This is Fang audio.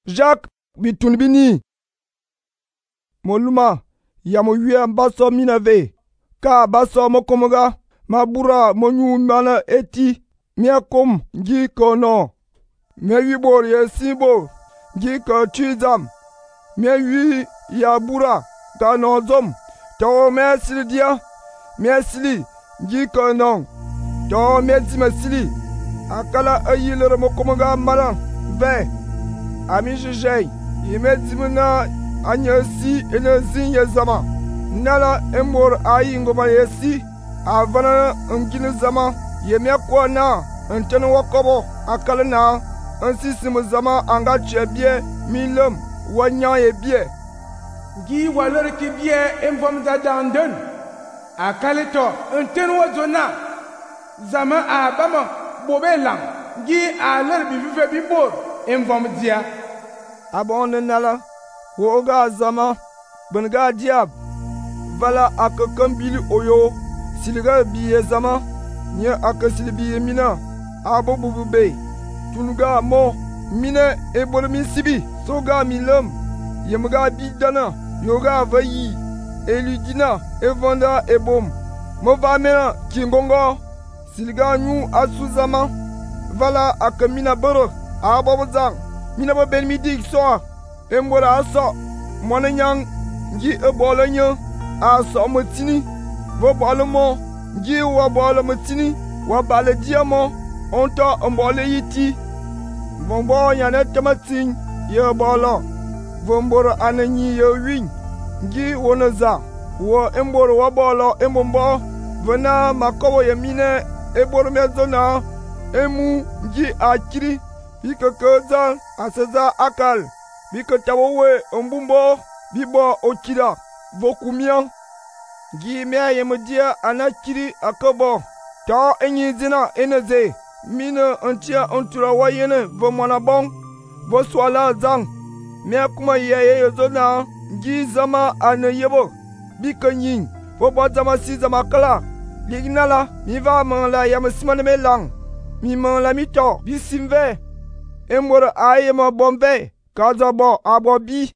Jacques bitun bini. Moluma ya mo yua baso minave. Ka baso mo komoga. Ma bura mo nyu mana eti. Mia kom ngi kono. Mia yubor ye sibo. Ngi ko tuizam. Mia yu ya bura. Ka nozom. To mia sili dia. Mia sili ngi kono. To mia zima sili. Akala ayilere mo komoga maran. Ve. Ami jejei. Yeme zimuna anya si ene zin ye zama. Nala emor ayi ngoma ye si. Avana ngine zama. Yeme kwa na. Ntene wakobo. Akala na. Nsisimu zama anga chebie. Milem. Wanya ye bie. Ngi walere ki bie envom za dandun. Akale to. Ntene wazona. Zama abama. Bobe lang. Ngi alere bivive bibor. Envom dia. Abon nala. Woga zama. Benga diab. Vala akakambili oyo. Siliga biye zama. Nye akasili biye mina. Abo bubube. Tunuga mo. Mine ebole mi sibi. Soga milem. Yemga bidana. Yoga vayi. Eludina. Evanda ebom. Mova mena kingongo. Siliga nyu asu zama. Vala akamina boro. Abo zang. Mina bo ben midi soa. Embora aso. Mwana nyang. Ngi ebole nyo. Aso motini. Vo bole mo. Ngi wa bole motini. Wa bale diamo. Onto mbole yiti. Vombo nyane tamatin. Ye bolo. Vomboro ananyi ye win. Ngi wonoza. Wo emboro wa bolo embombo. Vena makobo ye mine. Eboro mezona. Emu ngi akiri. Bika kozal aseza akal. Bika tawowe ombumbo. Bibo okida. Vokumian. Gi mea yemedia anakiri akobo. Ta enyi zina eneze. Mine antia antura wayene vomwana bon. Voswala zang. Mea kuma yeye yozona. Ngi zama ane yebo. Bika nyin. Vobo zama si zama kala. Lignala. Mi va man la yamesimane me lang. Mi man la mito. Bisimve. Emwere aye ma bombe. Kaza bo abo bi.